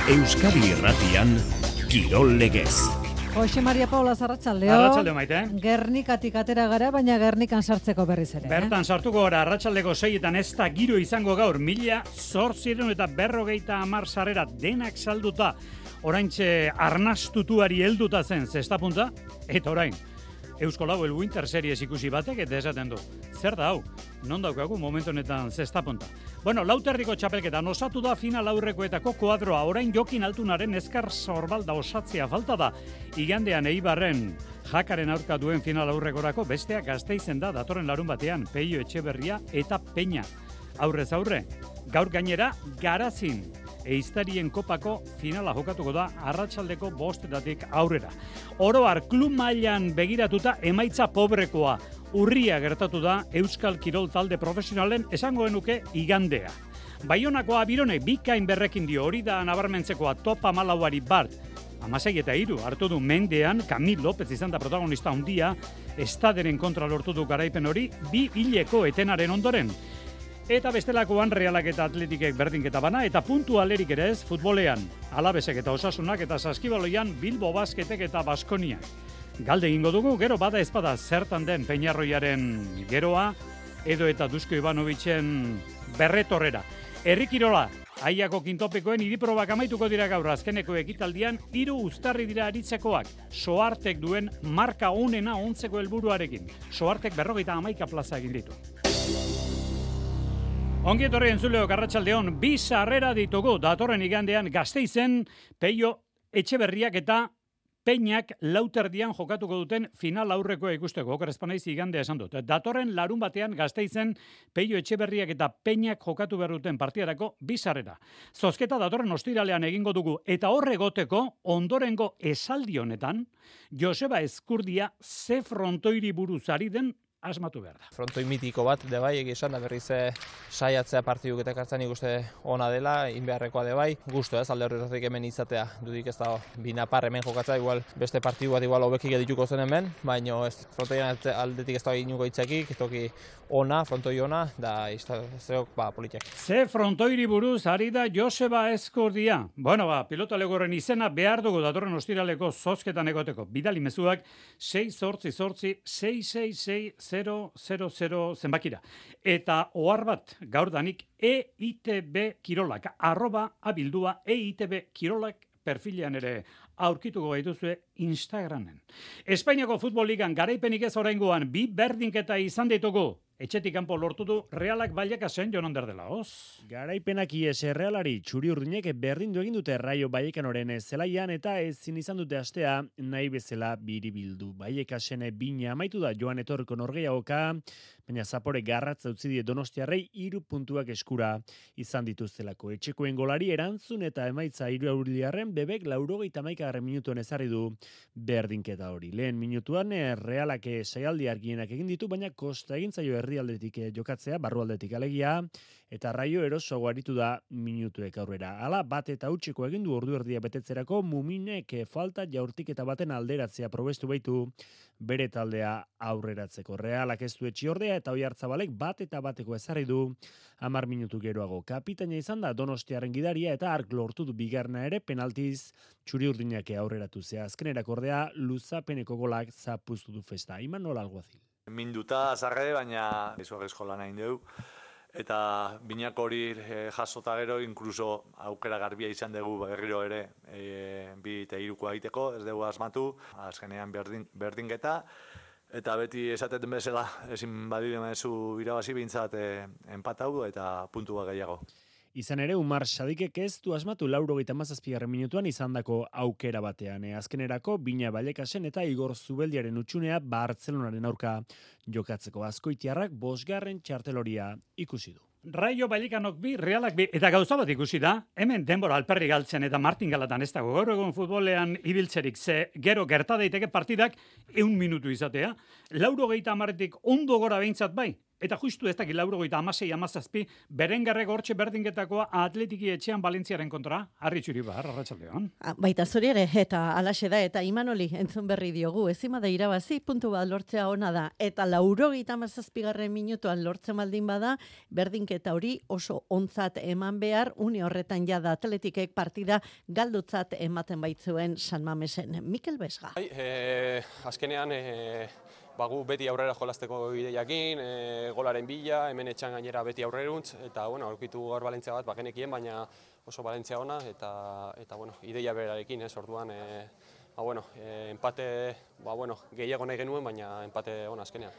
Euskadi Irratian Kirol Legez. Jose Maria Paula Arratsaldeon. Arratsalde maite. Gernikatik atera gara, baina Gernikan sartzeko berriz ere. Bertan sartuko gara arratsaldeko 6etan ez da giro izango gaur. 1850 sarrera denak salduta. Oraintxe arnastutuari helduta zen zestapunta eta orain Eusko Lau Winter Series ikusi batek eta esaten du. Zer da hau? Non daukagu momentu honetan zestapunta. Bueno, lauterriko txapelketan osatu da final aurrekoetako kuadroa. Orain Jokin Altunaren Eskar Sorbalda osatzea falta da. Igandean Eibarren Jakaren aurka duen final aurrekorako besteak Gasteizen da datorren larun batean Peio Etxeberria eta Peña. Aurrez aurre, gaur gainera Garazin Eiztarien kopako finala jokatuko da arratsaldeko 5:00 aurrera. Oro har klub mailan begiratuta emaitza pobrekoa. Urria gertatu da Euskal Kirol talde profesionalen esango genuke igandea. Baionakoa Birone bikain berrekin dio, hori da nabarmentzekoa top 14ari bart. 16-3 hartu du mendean, Kamil López izan da protagonista handia, Estaderen kontra lortu du garaipen hori, 2 hileko etenaren ondoren. Eta bestelakoan Realak eta Atletikek berdinketa bana, eta puntu alerik ere ez futbolean. Alabesek eta Osasunak eta Saskibaloian Bilbo Basketek eta Baskoniak. Galde egingo dugu, gero bada ezpada zertan den Peñarroiaren geroa, edo eta Dusko Ivanovicen berretorrera. Herri kirola, Aiako kintopikoen idiprobak amaituko dira gaur azkeneko ekitaldian, 3 uztarri dira aritzekoak. Soartek duen marka onena ontzeko helburuarekin. Soartek 51 plaza egin ditu. Ongi etorri entzuleok arratsaldeon, 2 sarrera ditugu datorren igandean Gasteizen Peio Etxeberriak eta Peñak lauterdian jokatuko duten final aurrekoa ikusteko. Oker espanaiz igandea esan dut. Datorren larun batean Gasteizen Peio Etxeberriak eta Peñak jokatu behar duten partidarako 2 sarrera. Zozketa datorren ostiralean egingo dugu eta horregoteko ondorengo esaldi honetan Joseba Ezkurdia ze frontoiri buruz ari den asmatu behar da. Frontoi mitiko bat, de bai, egizan da berriz saiatzea partiduk eta kartzen ikuste ona dela, inbeharrekoa de bai. Gusto ez, alde horretatik hemen izatea, dudik ez da binapar hemen jokatzea, igual beste partidu bat igual hobekik edituko zen hemen, baina ez, frontoian aldetik ez da inuko itzakik, toki ona, frontoi ona, da izteok politiak. Ze frontoiri buruz ari da Joseba Ezkurdia. Bueno, pilota legorren izena behar dugu datorren ostiraleko zozketan egoteko. Bidali mezuak 688-666-000 zenbakira. Eta ohar bat gaurdanik EITB Kirolak, @abildua EITB Kirolak perfilean ere aurkituko gaituzue Instagramen. Espainiako futbol ligan garaipenik ez oraingoan 2 berdinketa izan ditugu. Etxetik kanpo lortu du Realak Vallecas Jon Ander de la Hoz. Garaipenak ies Realari txuri-urdinek berdindu egin dute Raio Vallecanoren zelaian eta ezin izan dute astea nahi bezala biribildu. Vallecasen bina amaitu da joan etorriko norgehiagoka, baina zapore garratza utzi die Donostiarrei 3 puntuak eskura izan dituztelako. Etxekoen golari erantzun eta emaitza 3 auriliarren bebek 81. minutuan ezarri du berdinketa hori. Lehen minutuan Realak saialdi argienak egin ditu, baina kosta egin zaio herrialdetik jokatzea, barrualdetik alegia, eta Raio erosoago aritu da minutuek aurrera. Hala, bat eta hutsiko egin du ordu erdia betetzerako, Muminek falta jaurtiketa baten alderatzea probestu baitu bere taldea aurreratzeko. Realak ez du Etxiordea eta Oiartzabalek bat eta bateko ezarri du 10 minutu geroago. Kapitaina izan da Donostiaren gidaria eta ark lortu du bigarna ere penaltiz txuri-urdinak aurreratu zea. Azkenerako ordea luzapeneko golak zapuztu du festa. Imanol Alguazil. Minduta azarre, baina izugarrizko lan hain dugu. Eta binak hori jasota gero, inkluso aukera garbia izan dugu berriro ere 2 eta 3 egiteko, ez dugu asmatu, azkenean berdinketa. Eta beti esaten bezala, ezin badire mezu irabazi bintzat empatau eta puntua gehiago. Izan ere, Umar Sadikek ez du asmatu 97. minutuan izandako aukera batean. Azkenerako, Bina Vallecasen eta Igor Zubeldiaren utxunea Bartzelonaren aurka jokatzeko. Azkoitiarrak 5. txarteloria ikusi du. Raio Vallecanok 2, Realak 2, eta gauza bat ikusi da, hemen denbora alperri galtzen eta martingalatan ez dago gaur egun futbolean ibiltzerik, ze gero gerta daiteke partidak 1 minutu izatea, 90 ondo gora behintzat bai, Eta justu ez dakit 96-17, Berengerrek hortxe berdinketakoa Atletiki etxean Valentziaren kontra, Harri Txuribar, arratsaldeon. Baita zuri ere, eta alaxe da, eta Imanoli entzun berri diogu, ezima da irabazi, puntu bat lortzea ona da, eta 97. minutuan lortzen baldin bada, berdinketa hori oso ontzat eman behar, une horretan jada Atletikek partida galdutzat ematen baitzuen San Mamesen. Mikel Besga. Azkenean, gu beti aurrera jolasteko ideiakin, golaren bila, hemen etxan gainera beti aurreruntz, eta aurkitu gaur Valentzia bat bagenekien, baina oso Valentzia ona, eta ideia berarekin, orduan, empate, gehiago nahi genuen, baina empate ona azkenean.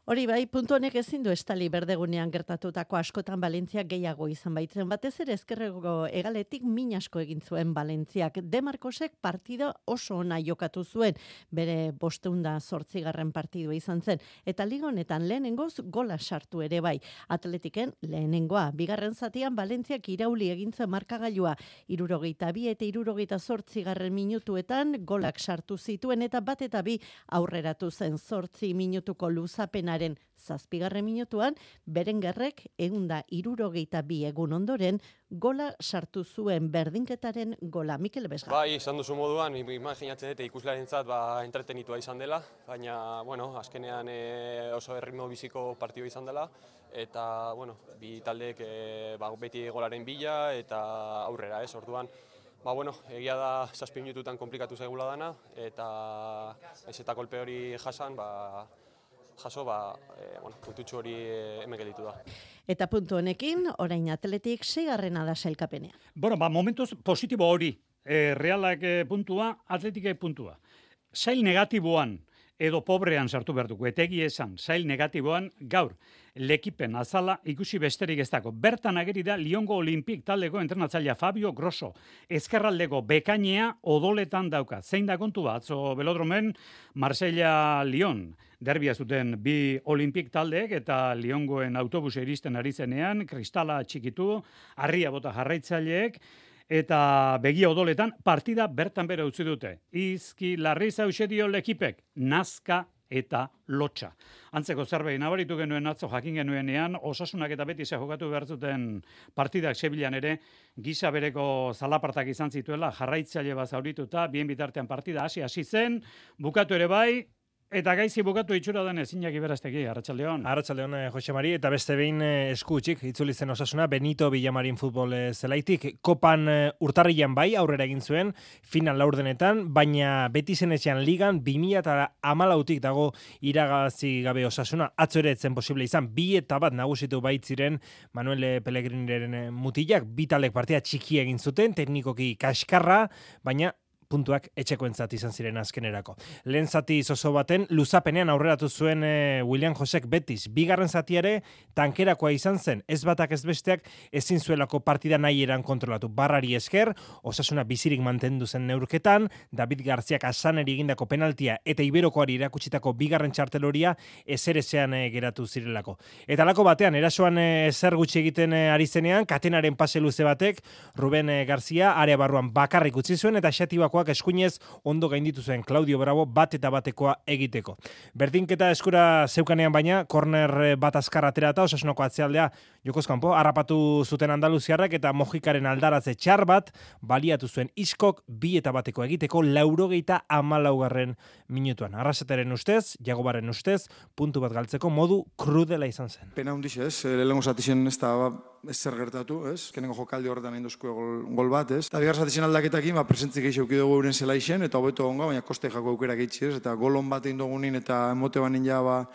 Hori bai, puntu honek ezin du estali berdegunean gertatutako askotan Valentzia gehiago izan baitzen. Batez ere ezkerreko hegaletik min asko egin zuen Valentziak. De Marcosek partida oso ona jokatu zuen, bere 508. partidua izan zen. Eta liga honetan lehenengoz gola sartu ere bai. Atletiken lehenengoa. Bigarren zatian Valentziak irauli egin zuen markagailua. 62 eta 68. minutuetan golak sartu zituen eta bat eta bi aurreratu zen 8 minutuko luzapenaren 7. minutuan, Berengerrek 162 egun ondoren gola sartu zuen berdinketaren gola. Mikel Besga. Bai, izan duzu moduan, imaginatzen dute ikuslearentzat entretenitua izan dela, baina, azkenean oso erritmo biziko partidua izan dela, eta, bi taldeek beti golaren bila eta aurrera, orduan, egia da 7 minututan komplikatu zaigula dana, eta ez eta kolpe hori jasan, puntutxo hori hemen gelditu da. Eta puntu honekin, orain Atletik 6. da sailkapenean. Momentuz positibo hori, Realak puntua, Atletikek puntua. Sail negatiboan edo pobrean sartu behar dugu, etegi esan, sail negatiboan gaur, lekipen azala ikusi besterik ez dago. Bertan ageri da Liongo Olimpik taldeko entrenatzailea Fabio Grosso. Ezkerraldeko bekainea odoletan dauka. Zein da kontua, atzo Belodromen, Marsella-Lyon. Derbia zuten bi Olimpik taldeek eta Liongoen autobusa iristen ari zenean, kristala txikitu, harria bota jarraitzaileek, eta begia odoletan partida bertan bera utzi dute. Izki larri zauxedio lekipek, nazka eta lotxa. Antzeko zerbait nabaritu genuen atzo jakin genuenean, Osasunak eta Betis jokatu behar zuten partidak Sevillan ere, gisa bereko zalapartak izan zituela, jarraitzaile bat zaurituta, bien bitartean partida hasi zen, bukatu ere bai, eta gaizi bukatu itxura den ezinak iberazteki, Arratsaldeon. Arratsaldeon, Jose Mari, eta beste behin esku utzik itzuli zen Osasuna, Benito Villamarin futbol zelaitik, kopan urtarrilan bai aurrera egin zuen, final laurdenetan, baina Betisen etxean ligan 2014tik dago iragazi gabe Osasuna, atzo ere etzen posible izan, 2-1 nagusitu baitziren Manuel Pellegrineren mutilak, bitalek partida txiki egin zuten, teknikoki kaskarra, baina puntuak etxekoentzat izan ziren azkenerako. Lehen zati zozo baten, luzapenean aurreratu zuen William Josek Betis. Bigarren zatiare tankerakoa izan zen, ez batak ez besteak ezin zuelako partida nahi eran kontrolatu. Barrari esker, Osasuna bizirik mantendu zen neurketan, David Garziak asaneri egindako penaltia eta Iberokoari irakutsitako bigarren txarteloria ezerezean geratu zirelako. Eta lako batean, erasoan zer gutxi egiten ari zenean, katenaren pase luze batek, Ruben Garzia area barruan bakarrik utzi zuen eta xatibakoak eskuinez ondo gainditu zuen Claudio Bravo bat eta batekoa egiteko. Berdinketa eskura zeukanean baina, korner bat azkar aterata, Osasunako atzealdea jokozkanpo, harrapatu zuten andaluziarrak eta Mojikaren aldaratze txar bat baliatu zuen Iskok 2-1 egiteko 94. minutuan. Arrasateren ustez, Jagobaren ustez, puntu bat galtzeko modu krudela izan zen. Pena hundiz ez, lehenko zatixen ez da zer gertatu, ez? Kenengo jokaldi horretan egin duzko gol bat, ez? Eta bigar zatixen aldaketakin, presentzik eixo dugu euren zelaixen, eta hobeto ongo, baina koste jako aukera geitzi, ez? Eta golon bat egin dugunin eta emote banin ja,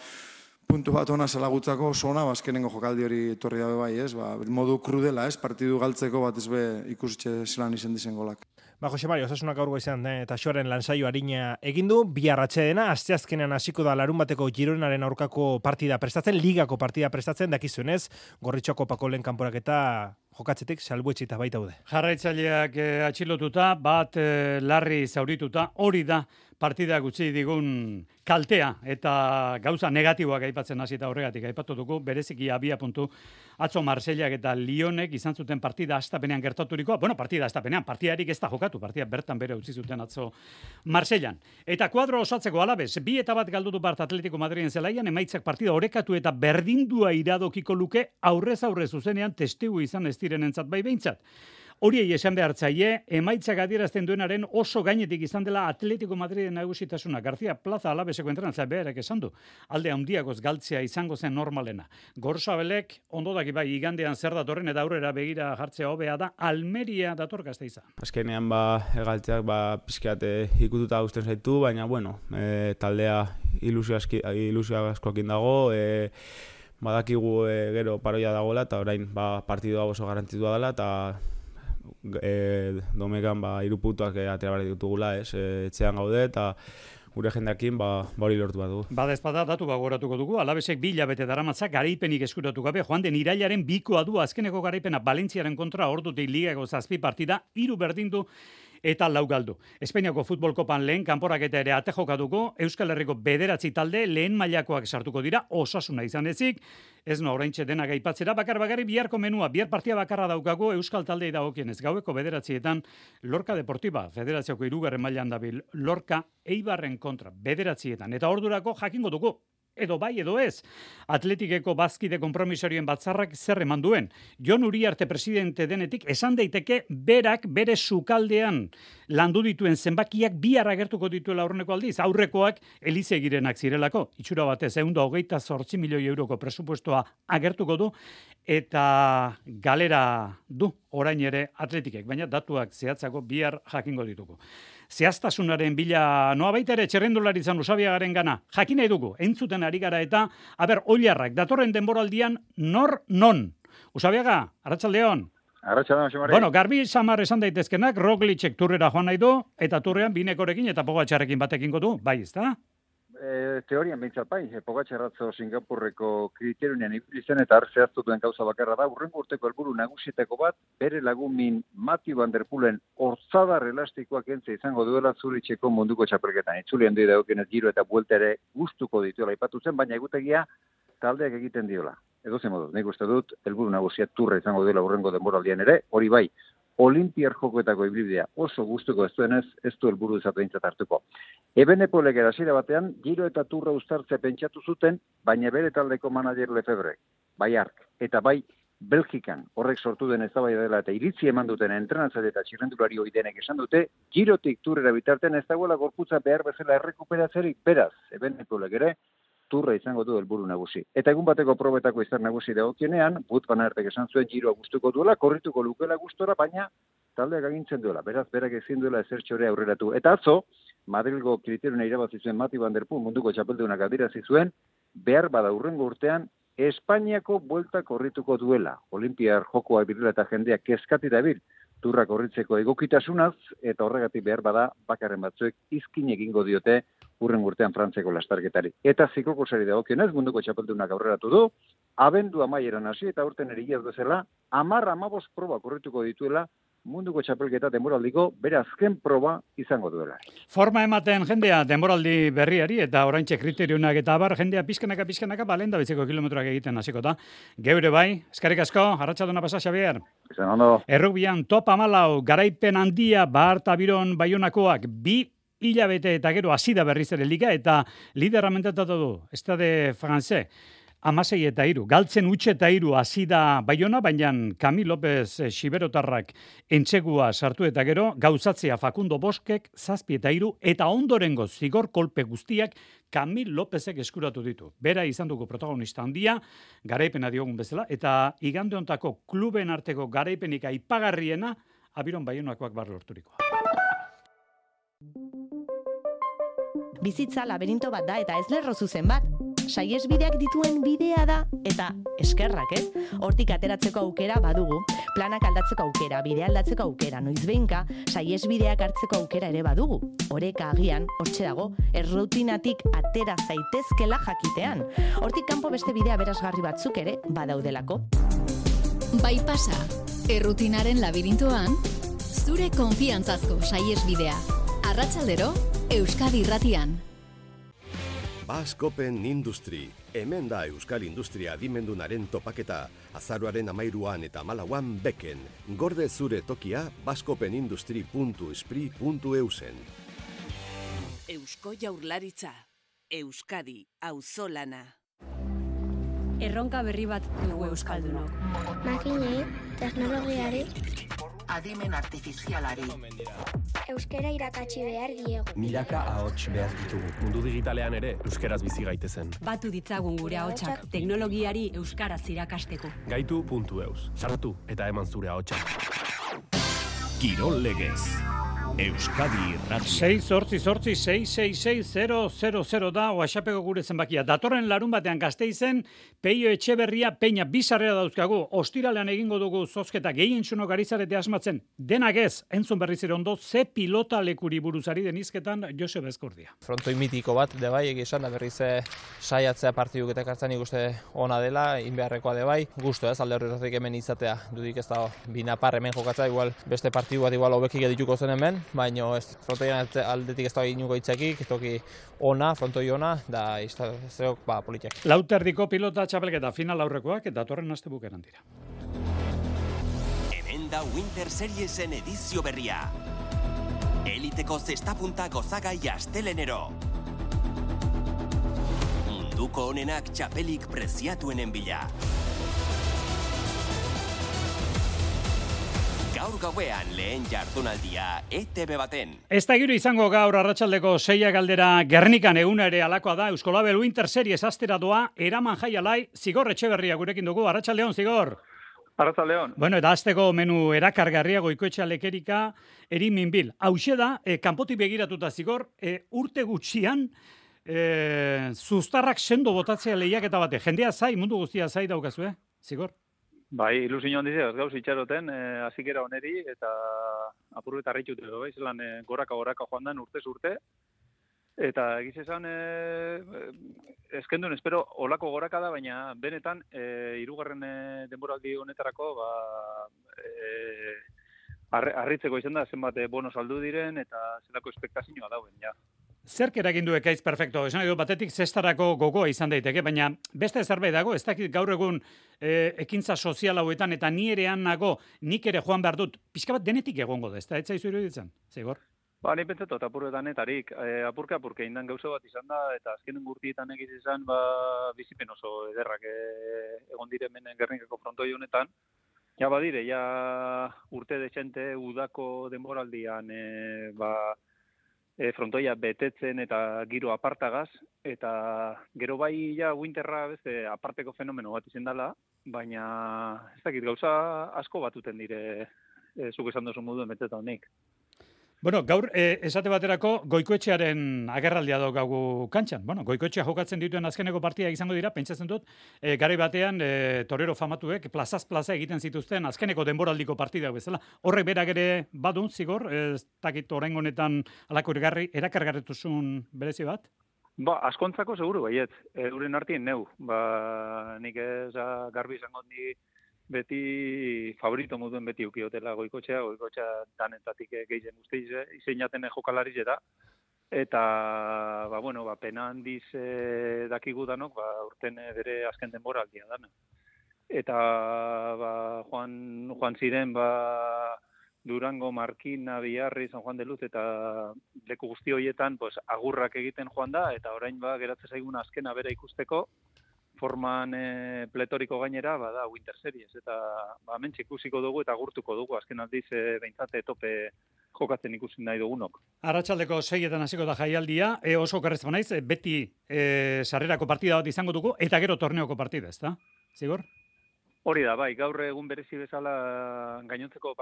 puntu bat ona zelagutzako oso ona, azkenengo jokaldi hori etorri dabe bai, ez? Modu krudela, ez? Partidu galtzeko bat ez be ikusitxe zelan izen dizen golak. Jose Mari, Osasunak gaurgo izan eta Xoaren lansaio arina egin du, bihar atsedena, asteazkenean hasiko da larun bateko Gironaren aurkako partida prestatzen, ligako partida prestatzen, dakizuenez, Gorritxo kopako lehen kanporaketa jokatzetik salbuetxita baita daude. Jarraitzaileak atxilotuta, bat larri zaurituta, hori da partida gutxi digun kaltea eta gauza negatiboak aipatzen hasi eta horregatik aipatu dugu, bereziki abia puntu atzo Marsellak eta Lyonek izan zuten partida hastapenean gertaturikoa. Bueno, partida hastapenean, partidarik ez da jokatu, partida bertan bere utzi zuten atzo Marsellan. Eta kuadro osatzeko Alabez, 2-1 galdu du Bart Atletico Madriden zelaian, emaitzak partida orekatu eta berdindua iradokiko luke aurrez aurre zuzenean testigu izan ez direnentzat bai behintzat. Horiei esan behartzaile, emaitzak adierazten duenaren oso gainetik izan dela Atletico Madriden nagusitasuna. García Plaza Alaveseko entrenatzaile beharek esan du. Alde handiagoz galtzea izango zen normalena. Gorsabelek ondo daki bai igandean zer datorren eta aurrera begira jartzea hobea da Almeria dator Gasteiza. Azkenean galtzeak pizkat ikututa gusten zaitu, baina bueno, taldea ilusio askoekin dago, badakigu gero paroia dagoela eta orain partidua oso garantitua dela eta domekan 3 puntuak atera behar ditugula, etxean gaude eta gure jendeakin hori lortu bat dugu. Badezpada datu gogoratuko dugu, Alavesek 2 hilabete daramatzak garaipenik eskuratu gabe, joan den irailaren 2koa du azkeneko garaipena Valentziaren kontra ordutik ligako 7 partida, 3 berdindu eta 4 galdu. Espainiako futbol kopan lehen kanporaketa ere ate jokatuko, Euskal Herriko 9 talde lehen mailakoak sartuko dira, Osasuna izan ezik, ez no oraintxe denak aipatzera, bakarri biharko menua, bihar partia bakarra daukago Euskal taldei dagokienez, gaueko 9 Lorca Deportiva, Federazioko 3. mailan dabil, Lorca Eibarren kontra, 9 eta ordurako jakingo dugu. Edo bai, edo ez. Atletikeko bazkide konpromisorioen batzarrak zer eman duen. Jon Uriarte presidente denetik esan daiteke berak bere sukaldean landu dituen zenbakiak bihar agertuko dituela aurreneko aldiz. Aurrekoak Elizegirenak zirelako. Itxura batez 128 milioi euroko presupuestoa agertuko du eta galera du orain ere Atletikek, baina datuak zehatzako bihar jakingo ditugu. Zehaztasunaren bila noa baita ere txerrendularitzan Usabiagaren gana. Jakin nahi dugu, entzuten ari gara eta, oilarrak, datorren denboraldian non? Usabiaga, arratsaldeon. Arratsaldeon, Xamari. Bueno, garbi samar esan daitezkenak, Roglicek turrera joan nahi du, eta turrean Binekorekin eta Pogačarrekin batekingo du, bai, ezta? Teorian behintzat bai, Pogačarratzo Singapurreko kriterioen ibili zen eta zehaztu duen gauza bakarra da, hurrengo urteko helburu nagusietako bat, bere lagumin Mathieu van der Poelen hortzadar elastikoak entze izango duela Zuricheko munduko txapelketan. Itzuli handi dagokienez giro eta buelta ere gustuko dituela aipatu zen, baina egutegia taldeak egiten diola. Edozein moduz, nik uste dut, helburu nagusia turra izango duela hurrengo denboraldian ere, hori bai, Olimpiar jokoetako ibilbidea oso gustuko ez duenez, ez du helburu izatentzat hartuko. Ebenepolek hasiera batean, giro eta turra uztartzea pentsatu zuten, baina bere taldeko manager Lefebvre, bai Ark, eta bai Belgikan, horrek sortu den eztabaida dela eta iritzi eman duten entrenatzaile eta txirrendulari ohi denek esan dute, girotik turrera bitartean ez dagoela gorputza behar bezala errekuperatzerik, beraz, Ebenepolek ere, turra izango du helburu nagusi. Eta egun bateko probetako izar nagusi dagokienean, Wout van Aertek esan zuen giroa gustuko duela, korrituko lukela gustora, baina taldeak agintzen duela. Beraz, berak ezin duela ezertxore aurreratu. Eta atzo, Madrilgo kriterioen irabazi zuen Mathieu van der Poel munduko txapeldunak adierazi zuen, behar bada hurrengo urtean, Espainiako buelta korrituko duela. Olimpiar jokoa birela eta jendeak kezkati dabil, turra korritzeko egokitasunaz, eta horregatik behar bada bakarren batzuek izkin egingo diote hurrengo urtean Frantzeko lastarketari. Eta ziklokosari dagokionez munduko txapeldunak aurreratu du, abendu amaieran hasi eta urten erigiaz bezala, 10-15 proba korrituko dituela munduko txapelketa denboraldiko bere azken proba izango duela. Forma ematen jendea denboraldi berriari eta oraintxe kriterionak eta abar jendea pizkanaka balenda biziko kilometroak egiten hasiko da. Geure bai, eskerrik asko, arratsaldona pasa Xabier. Izan ondo. Errugbian top 14 garaipen handia Barta Biron Baionakoak 2 hilabete eta gero hasi da berriz ere liga eta liderra mentatatu du. Stade Francais 16-3, galtzen 8-3 hasi da Baiona, baina Kamil López Xiberotarrak entsegua sartu eta gero, gauzatzea Facundo Boskek 7-3 eta ondorengo zigor kolpe guztiak Kamil Lópezek eskuratu ditu. Bera izan dugu protagonista handia, garaipena diogun bezala, eta igande hontako kluben arteko garaipenik aipagarriena, Abiron Baionakoak bar lorturikoa. Bizitza laberinto bat da eta ez lerro zuzen bat. Saihesbideak dituen bidea da eta eskerrak, ez? Hortik ateratzeko aukera badugu, planak aldatzeko aukera, bidea aldatzeko aukera, noizbehinka saihesbideak hartzeko aukera ere badugu. Oreka agian, hortxe dago, errutinatik atera zaitezkela jakitean. Hortik kanpo beste bidea berazgarri batzuk ere badaudelako. Bai pasa, errutinaren labirintoan, zure konfiantzazko saihesbidea. Arratsaldero, Euskadi Irratian. Basque Open Industry. Hemen da Euskal Industria adimendunaren topaketa. Azaroaren 13an eta 14an beken. Gorde zure tokia bascopenindustry.espri.eusen. Eusko Jaurlaritza. Euskadi auzolana. Erronka berri bat dugu euskaldunok. Makinei, teknologiari, adimen artifizialari. Euskara irakatsi behar diegu. Milaka ahots behar ditugu. Mundu digitalean ere euskeraz bizi gaitezen. Batu ditzagun gure ahotsak teknologiari euskaraz irakasteko. Gaitu.eus. Sartu eta eman zure ahotsa. Kirol Legez. Euskadi Irratia. 688-666-000 da WhatsAppeko gure zenbakia. Datorren larun batean Gasteizen, Peio Etxeberria, Peña bizarrera dauzkagu. Ostiralean egingo dugu zozketa gehientsunok ari zarete asmatzen. Denak ez, entzun berriz ere ondo, ze pilota lekuri buruzari denizketan Joseba Eskordia. Frontoi mitiko bat, debai, egizan, da berriz saiatzea partiduk eta kartzen ikuste ona dela, inbeharrekoa debai. Gusto ez, alde horretik hemen izatea, dudik ez da binapar hemen jokatza, igual beste partidu bat igual hobekik edituko zen hemen, baina ez, frontoian aldetik ez da inuko itzakik, toki ona, frontoi ona, da izteok politiak. Lauterdiko pilota txapelketa final aurrekoak eta datorren aste bukeran dira. Hemen da Winter Seriesen edizio berria. Eliteko zestapunta gozagai astelenero. Munduko onenak txapelik preziatuenen bila. Gaur gauean lehen jardunaldia ETV baten. Ez da giro izango gaur arratsaldeko 6 galdera Gernikan eguna ere alakoa da. Euskolabel Winter Series astera doa, eraman jaialai, Zigor Etxeberria gurekin dugu. Arratsaldeon, Zigor. Arratsaldeon. Bueno, eta azteko menu erakargarria Goikoetxea lekerika, Eriminbil. Hauxe da, kanpotik begiratuta, Zigor, urte gutxian, zuztarrak sendo botatzea lehiaketa bate. Jendea zai, mundu guztia zai daukazue, Zigor? Bai, ilusio handizia, ez gauz itxaroten, azikera oneri, eta apurru eta harritut edo, bai, zelan goraka joan den urtez urte, eta egiz esan, eskendun, espero, olako goraka da, baina benetan, hirugarren denboraldi honetarako, harritzeko izan da, zenbat bono saldu diren, eta zelako espektazioa dauen, ja. Zerk eragin du ekaiz perfecto? Esan edo batetik zestarako gogoa izan daiteke, baina beste zerbait dago, ez dakit gaur egun ekintza sozial hauetan eta ni erean nago, nik ere joan behar dut, pixka bat denetik egongo da, ez da, etzaizu iruditzen, Zigor? Ba, ni pentsatot, apurretanetarik, apurke indan gauza bat izan da, eta azkenen gurtietan egiz izan, bizipen oso ederrak egon diremen Gernikako frontoi honetan, ja badire, ja urte dezente udako denboraldian, frontoia betetzen eta giro apartagaz, eta gero bai ja winterra beste aparteko fenomeno bat izan dela, baina ez dakit gauza asko batuten dire zuk esan duzu moduen beteta honik. Bueno, gaur esate baterako Goikoetxearen agerraldia daukagu kantxan. Bueno, Goikoetxea jokatzen dituen azkeneko partida izango dira, pentsatzen dut, garai batean torero famatuek plazaz plaza egiten zituzten azkeneko denboraldiko partidak bezala. Horrek berak ere badun, Zigor, ez dakit oraingo honetan alako erakargarrituzun berezi bat? Ba, askontzako seguru baiet, euren artien neu. Ba, nik ez garbi izango di beti favorito moduen beti ukiotela Goikoetxea danetatik gehien guztiz izeinaten jokalariz eta pena handiz dakigu danok, urten bere azken denboraldia dana. Eta joan ziren Durango, Markina, Biarri, San Juan de Luz eta leku guzti horietan agurrak egiten joan da, eta orain geratzen zaigun azkena bera ikusteko, forman pletoriko gainera, da Winter Series, eta mentxe ikusiko dugu eta gurtuko dugu, azken aldiz behintzate tope jokatzen ikusten nahi dugunok. Arratsaldeko 6etan hasiko da jaialdia, oso okerrezko naiz, beti sarrerako partida bat izango dugu, eta gero torneoko partida, ez da? Zigor? Hori da, bai, gaur egun berezi bezala gainontzeko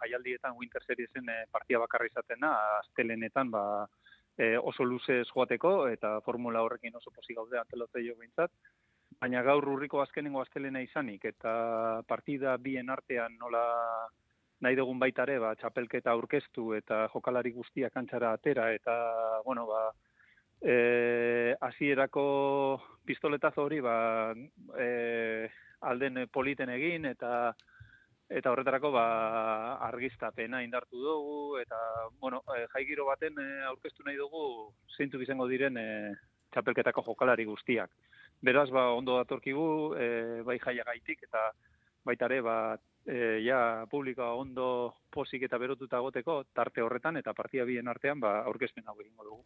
jaialdietan Winter Seriesen partida bakarra izaten da, astelenetan oso luzez joateko, eta formula horrekin oso pozik gaude antelotzeio behintzat. Baina gaur urriko azkenengo astelena izanik, eta partida bien artean nola nahi dugun baita ere, txapelketa aurkeztu eta jokalari guztiak kantxara atera, eta, hasierako pistoletazo hori, alden politen egin, eta eta horretarako argiztapena indartu dugu, eta, jaigiro baten aurkeztu nahi dugu zeintzuk izango diren txapelketako jokalari guztiak. Beraz, ondo datorkigu, bai jaiagaitik, eta baita ere, publikoa ondo pozik eta berotuta goteko tarte horretan, eta partida bien artean, aurkezpen hau egingo dugu.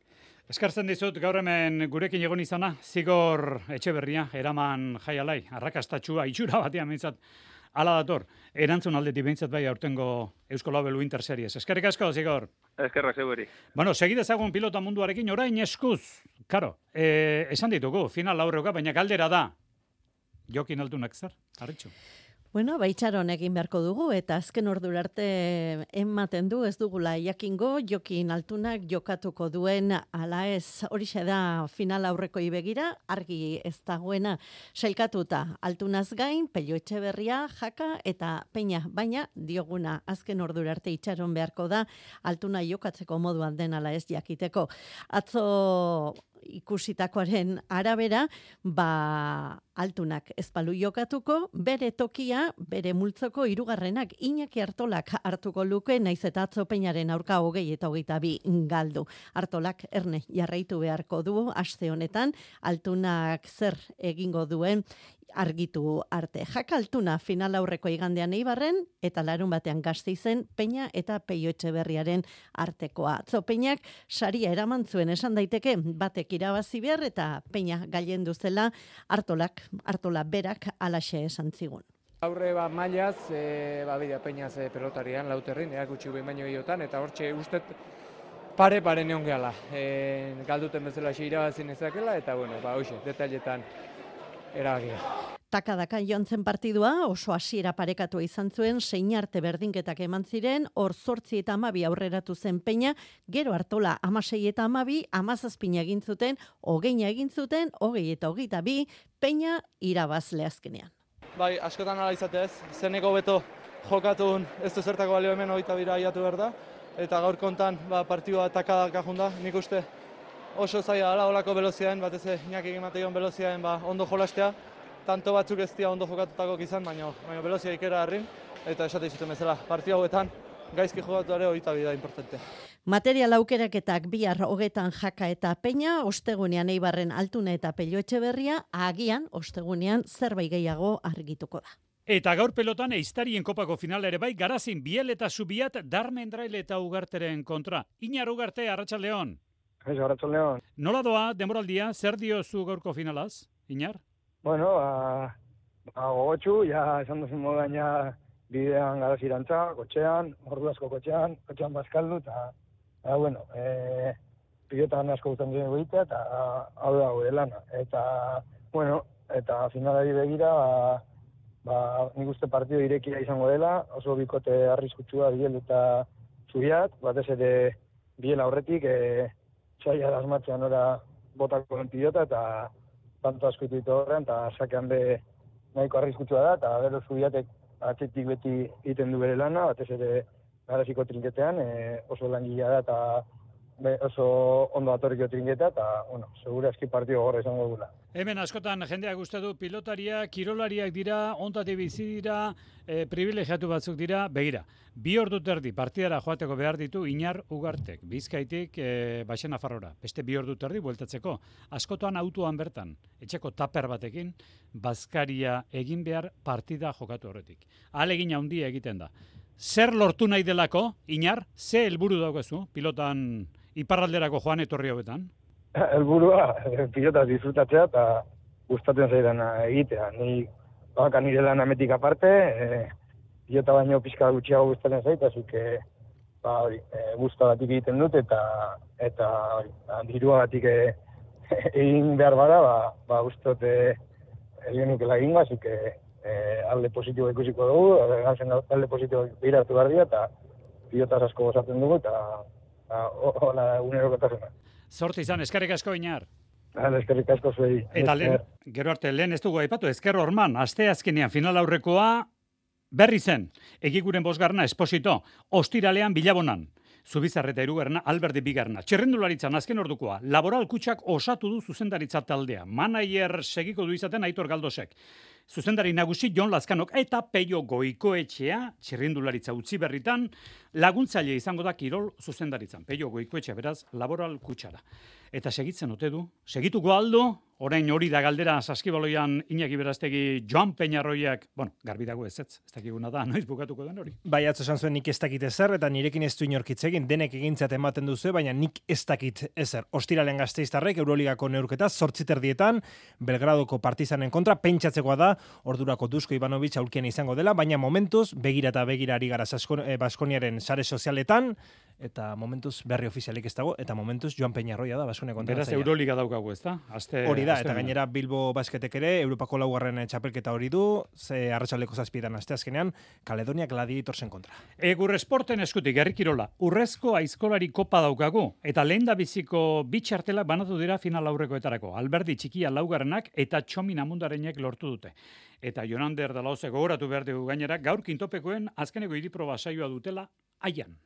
Eskartzen dizut, gaur hemen gurekin egon izana, Zigor Etxeberria, eraman jaialai, arrakastatxua, itxura batean mintzat, ala dator, erantzun aldetik behintzat bai aurtengo Eusko Label Winter Series. Eskerrik asko, Zigor. Eskerrak zeuberi. Segidezagun pilota munduarekin, orain eskuz, karo, esan ditugu, final aurreuka, baina galdera da, Jokin Altunak zer, Arritxu? Itxaron egin beharko dugu, eta azken ordura arte ematen du, ez dugula jakingo, Jokin Altunak jokatuko duen ala ez, horixe da final aurreko begira, argi ez dagoena sailkatuta Altunaz gain, Pello Etxeberria, Jaka eta Peña, baina dioguna azken ordura arte itxaron beharko da Altuna jokatzeko moduan den ala ez jakiteko. Atzo ikusitakoaren arabera, Altunak ez balu jokatuko, bere tokia, bere multzoko hirugarrenak Iñaki Artolak hartuko luke, naiz eta atzo Peñaren aurka 20 eta 22 galdu. Artolak erne jarraitu beharko du aste honetan, Altunak zer egingo duen argitu arte. Jaka Altuna final aurreko igandean Eibarren eta larun batean Gasteizen Peña eta Pello Etxeberriaren artekoa. Atzo Peñak saria eraman zuen esan daiteke, batek irabazi behar eta Peña gailendu zela, Artola berak alaxe esan zigun. Aurre mailaz, bidea Peñaz pelotarian, lauterrin, erakutsi behin baino gehiotan, eta hortxe ustet pare neon gehala. Galduten bezala irabazi nezakela, eta hoxe, detailetan erabakia. Takadaka joan zen partidua, oso hasiera parekatua izan zuen, zein arte berdinketak eman ziren, hor 8 eta 12 aurreratu zen Peña, gero Artola 16 eta 12, 17 egin zuten, 20 egin zuten, 20 eta 22, Peña irabazle azkenean. Bai, askotan ala izatez, zeneko beto jokatun ez du zertako balio hemen 22 aiatu behar da, eta gaur kontan partidua takadaka junda, nik uste oso zaila dela olako veloziaen, batez Iñaki egin mateion veloziaen ondo jolastea, tanto batzuk ez dira ondo jokatutako izan, baina velozia ikera harrin, eta esate izuten bezala, partida hauetan gaizki jokatu ere 22 da importante. Material aukeraketak bihar 20 Jaka eta Peña, ostegunean Eibarren Altuna eta Pello Etxeberria, agian ostegunean zerbait gehiago argituko da. Eta gaur pelotan Eiztarien kopako final ere bai, Garazin, Biel eta Zubiat, Darmendrail eta Ugarteren kontra. Iñar Ugarte, Arratsaldeon. Arratsaldeon. Nola doa demoraldia, zer diozu gaurko finalaz, Iñar? Gogotxu, esan duzun moduan bidean Garazirantza, kotxean, ordu asko kotxean bazkaldu, eta pilotan asko guztan duen egitea, eta hau da gure lana. Eta finalari begira, nik uste partido irekia izango dela, oso bikote arriskutsua Biel eta Zubiat, batez ere Biel aurretik, txaila asmatzean ora botako den pilota, eta tanto asko ditu horrean, eta sakean be nahiko arriskutsua da, eta gero Zubiatek atzetik beti egiten du bere lana, batez ere Garaziko trinketean, oso langilea da, eta oso ondo atorriko trinketa, eta, segura eski partido gorra izango dugula. Hemen askotan jendeak uste du pilotariak, kirolariak dira, ontate bizi dira, privilegiatu batzuk dira, begira. 2 ordu terdi partidara joateko behar ditu Iñar Ugartek, Bizkaitik Baixena Farrora. Beste 2 ordu terdi bueltatzeko. Askotan autoan bertan, etxeko taper batekin, bazkaria egin behar partida jokatu horretik. Ahalegin handia egiten da. Zer lortu nahi delako, Iñar, ze helburu daukazu pilotan iparralderako joan etorri hauetan? Helburua pilotaz disfrutatzea eta gustatzen zaidan egitea. Ni nire lan ametik aparte, pilota baino pixka gutxiago gustatzen zait, azuk gustagatik egiten dut eta diruagatik egin behar bada, gustot egin nukela egingo, azuk alde positibo ikusiko dugu, alde positibo behiratu behar dira, eta pilotaz asko gozatzen dugu, eta hola unerokotasuna. Zorte izan, eskerrik asko Iñar. Eskerrik asko zuei. Eta gero arte, lehen ez dugu aipatu, Ezker Orman, aste azkenean final aurrekoa berri zen. Egiguren 5. Esposito, ostiralean Bilabonan. Zubizarreta 3. Alberdi 2. Txirrindularitzan azken ordukoa, Laboral Kutxak osatu du zuzendaritza taldea. Manager segiko du izaten Aitor Galdosek. zuzendari nagusi Jon Lazkanok eta Peio Goikoetxea, txirrindularitza utzi berritan, laguntzaile izango da kirol zuzendaritzan. Peio Goikoetxea, beraz, laboral kutsara. Eta segitzen ote du. Segituko aldo, orain hori da galdera Saskibaloian Iñaki Berastegi Joan Peñarroiak, garbi dago ez dakiguna da, noiz bukatuko den hori. Bai, atzo esan zuen nik ez dakit ezer, eta nirekin ez du inorkitz egin, denek egintzat ematen duzu, baina nik ez dakit ezer. Ostiralen Gasteiztarrek Euroligako neurketa 8:30 Belgradoko Partizanen kontra, pentsatzekoa da, ordurako Dusko Ivanovic aulkian izango dela, baina momentuz, begira eta begira ari gara Baskoniaren sare sozialetan, eta momentuz berri ofizialik ez dago, eta momentuz Joan Peñarroia da Baskonia kontatzailea. Beraz Euroliga daukagu, ez da? Hori da, eta gainera Bilbo Basketek ere, Europako laugarren txapelketa hori du, arratsaldeko 7 asteazkenean, Kaledonia Gladiatorsen kontra. Egur esporten eskutik, herri kirola, urrezko aizkolari kopa daukagu, eta lehen da biziko bitxartelak banatu dira final aurrekoetarako. Alberdi txikia laugarrenak eta Txomin Amundarenek lortu dute. Eta Jonander Dalaoze gogoratu behar dugu gainera, gaur kintopekoen azkeneko hiriproba saioa dutela aian.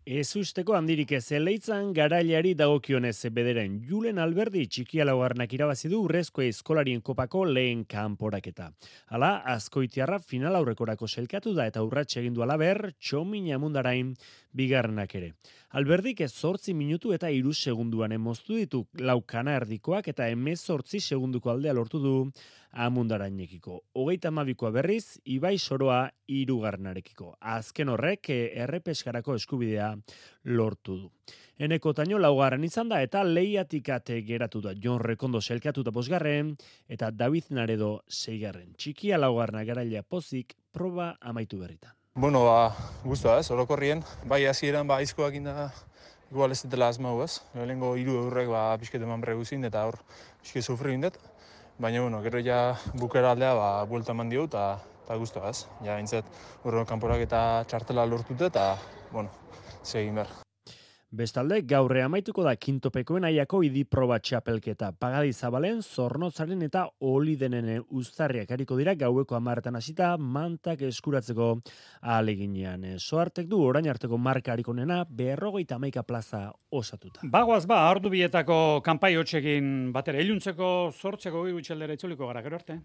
Ez usteko handirik ez Eleitzan garailari dagokionez bederen Julen Alberdi txikia laugarrenak irabazi du urrezko eskolarien kopako lehen kanporaketa. Hala, Azkoitiarra final aurrekorako selkatu da eta urratxe egin du alaber Txomin Amundarain bigarrenak ere. Alberdik 8 minutu eta 3 segunduan moztu ditu laukana erdikoak eta 18 segunduko aldea lortu du Amundarainekiko. 32koa berriz, Ibai Soroa 3. Azken horrek errepeskarako eskubidea lortu du. Eneko Taino laugarren izan da eta lehiatikate geratu da. Jon Rekondo selkatu da 5. eta David Naredo 6. Txikia laugarrena garailea pozik proba amaitu berritan. Bueno, guztua ez, orokorrien. Bai, hasieran aizkoak inda, igual ez dutela asmau ez. Lehenengo 3 eurrek pixket eman berreguzin eta hor pixket sufri indet. Baina, gero ja bukera aldea buelta eman dio eta guztua ez. Ja, bintzat, urro kanporak eta txartela lortute eta, segin behar. Bestalde, gaurre amaituko da kintopekoen aiako idiproba txapelketa. Pagadi Zabalen, Zornotzaren eta Olidenen uztarriak hariko dira gaueko 10 hasita mantak eskuratzeko ahaleginean. Soartek du orain arteko marka harikonena 51 plaza osatuta. Bagoaz ordu bietako kanpai hotxekin batera iluntzeko 8 gutxaldera itzuliko gara, gero arte.